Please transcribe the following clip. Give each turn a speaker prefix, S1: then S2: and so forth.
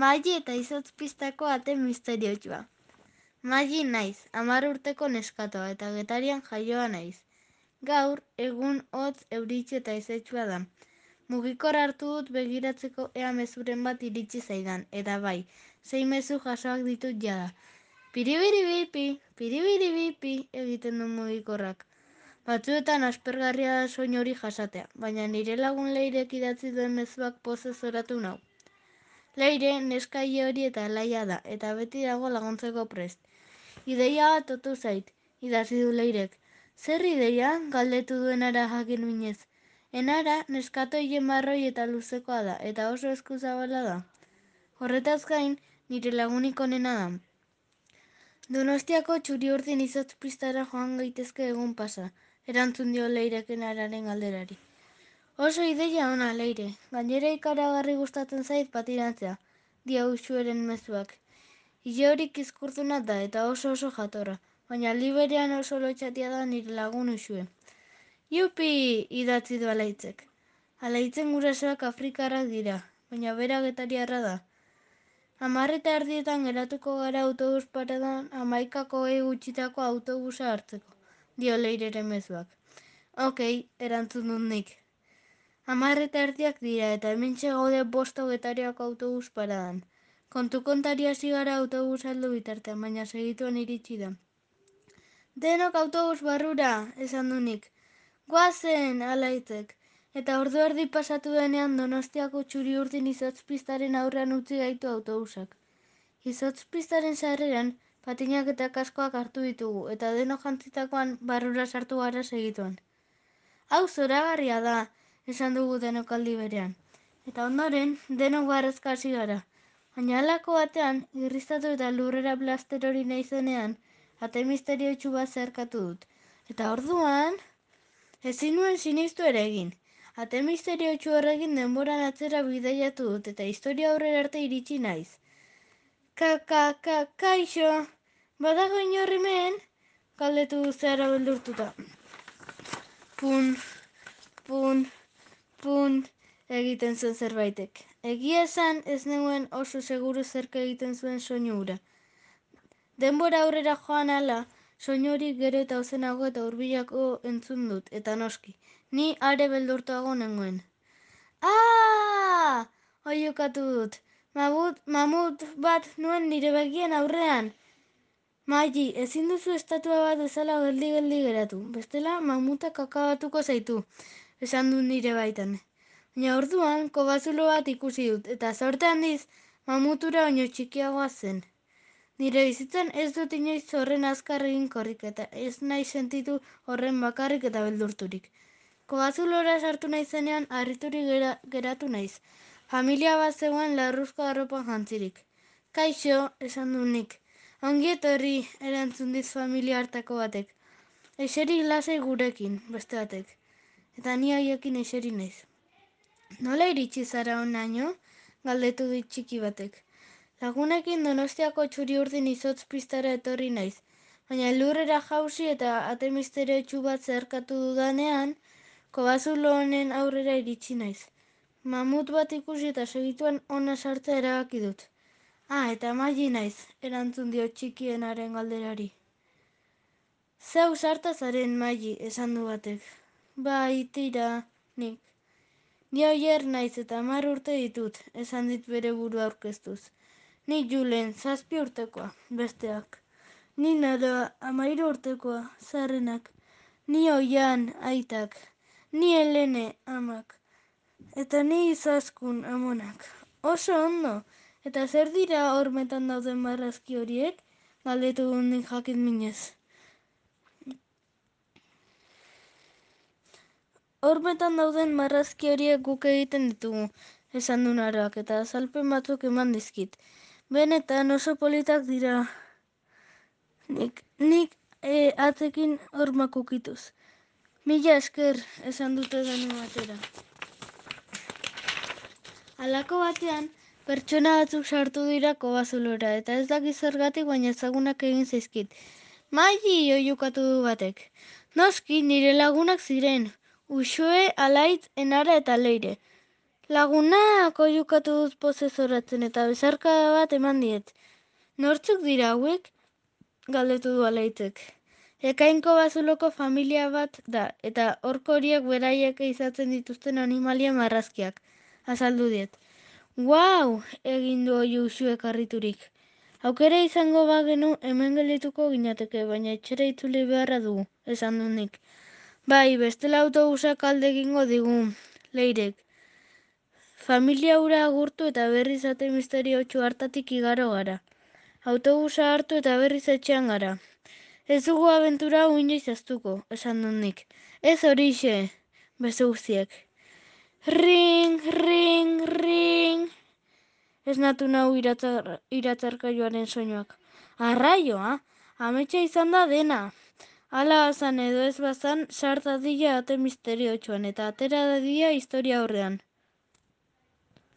S1: Maili eta izotz pistako ate misteriotsua. Maili naiz, 10 urteko neskatoa eta Getarian jaioa naiz. Gaur, egun hotz euritsu eta izetsua da. Mugikor hartu dut begiratzeko ea mezuren bat iritsi zaidan, eta bai, 6 mezu jasoak ditut jada. Piribiribipi egiten du mugikorrak. Batzuetan aspergarria da soin hori jasatea, baina nire lagun Leirek idatzi duen mezuak pozez zoratu nau. Leire neska hori eta alaia da, eta beti dago laguntzeko prest. Ideia bat otu zait, idatzi du Leirek. Zer ideia? Galdetu duenara jakin minez. Enara neskato hile marroi eta luzekoa da, eta oso eskuzabala da. Horretaz gain, nire lagunik onena da. Donostiako Txuriurdin izotz pistara joan gaitezke egun pasa, erantzun dio Leirek enararen galderari. Oso ideia ona, Leire. Gainera ikaragarri gustatzen zait patinatzea, dio Uxueren mezuak. Ile horik izkurtuna da eta oso jatorra, baina aldi berean oso lotxatia da nire lagun Uxue. Jupi! Idatzi du Alaitzek. Alaitzen gurasoak afrikarrak dira, baina bera getariarra da. 10:30 geratuko gara autobus paradan 11:20 gutxitako autobusa hartzeko, dio Leireren mezuak. Okei, erantzun dut nik. 10:30 dira eta hementxe gaude bosto Getariako autobus paradan. Kontu-kontari hasi gara autobus aldu bitartean, baina segituan iritsi da. Denok autobus barrura, esan du nik. Goazen, Alaitzek. Eta ordu erdi pasatu denean Donostiako Txuriurdin izotzpistaren aurrean utzi gaitu autobusak. Izotzpistaren sarreran patinak eta kaskoak hartu ditugu, eta denok jantzitakoan barrura sartu gara segituan. Hau zoragarria da, esan dugu denok aldi berean. Eta ondoren, denok barrezka hasi gara. Baina halako batean, irriztatu eta lurrera blaster hori nahi zenean, ate misteriotsu bat zeharkatu dut. Eta orduan, ezin nuen sinistu ere egin. Ate misteriotsu horrekin denboran atzera bidaiatu dut, eta historia aurrera arte iritsi naiz. Kaixo, badago inor hemen? Galdetu zehara beldurtuta. Pun, egiten zuen zerbaitek. Egia esan ez neuen oso seguru zerk egiten zuen soinu hura. Denbora aurrera joan ala, soinu hori gero eta ozenago eta hurbilako entzun dut, eta noski, ni are beldurtuago nengoen. Oiukatu dut. Mamut bat nuen nire begien aurrean. Maili, ezin duzu estatua bat bezala geldi geratu. Bestela, mamutak akabatuko zaitu, esan dut nire baitan. Baina orduan, kobazulo bat ikusi dut, eta zorte handiz, mamutura oino txikiagoa zen. Nire bizitzan ez dut inoiz horren azkar egin korrik, eta ez nahi sentitu horren bakarrik eta beldurturik. Kobazulora sartu naizenean, harriturik geratu naiz. Familia bat zegoen larruzko arropan jantzirik. Kaixo, esan du nik. Ongi etorri, erantzun dit familia hartako batek. Eseri lasai gurekin, beste batek. Eta ni haiekin eseri naiz. Nola iritsi zara honaino? Galdetu dit txiki batek. Lagunekin Donostiako Txuriurdin izotz pistara etorri naiz. Baina lurrera jausi eta ate misteriotsu bat zeharkatu dudanean, kobazulo honen aurrera iritsi naiz. Mamut bat ikusi eta segituan ona sartzea erabaki dut. Eta Maili naiz, erantzun dio txikienaren galderari. Zeu sarta zaren Maili, esan du batek. Bai, tira, nik. Ni oier naiz eta 10 urte ditut, esan dit bere burua aurkeztuz. Ni Julen, 7 urtekoa, besteak. Ni Naroa, 13 urtekoa, zaharrenak. Ni Oian, aitak. Ni Helene, amak. Eta ni Izaskun, amonak. Oso ondo. Eta zer dira hormetan dauden marrazki horiek? Galdetu nik jakin minez. Hormetan dauden marrazki horiek guk egiten ditugu, esan du Naroak, eta azalpen batzuk eman dizkit. Benetan oso politak dira. Nik atzekin hormak ukituz. Mila esker, esan dute denu batera. Halako batean, pertsona batzuk sartu dira kobazulora, eta ez dakiz zergatik baina ezagunak egin zaizkit. Maili, oiukatu du batek. Noski, nire lagunak ziren. Uxue, Alaitz, Enara eta Leire. Lagunak oiukatu dut pozez oratzen eta bezarkada bat eman diet. Nortzuk dira hauek? Galdetu du Alaitek. Ekainko bazuloko familia bat da, eta horko horiek beraiek izatzen dituzten animalia marrazkiak. Azaldu diet. Guau! Egin du oiu usuek harriturik. Aukera izango bagenu hemen geldituko ginateke, baina etxera itzuli beharra dugu, esan du nik. Bai, bestela autobusak alde egingo digu, Leirek. Familia hura agurtu eta berriz ate misteriotsu hartatik igaro gara. Autobusa hartu eta berriz etxean gara. Ez dugu abentura hau inoiz aztuko, esan dut nik. Ez horixe, beste guztiek. Ring, ring, ring. Ez natu nahu iratzarkailuaren soinuak. Arraioa, ametsa izan da dena. Hala azan edo ez bazan, sart dadila ate misteriotsuan eta atera dadila historia aurrean.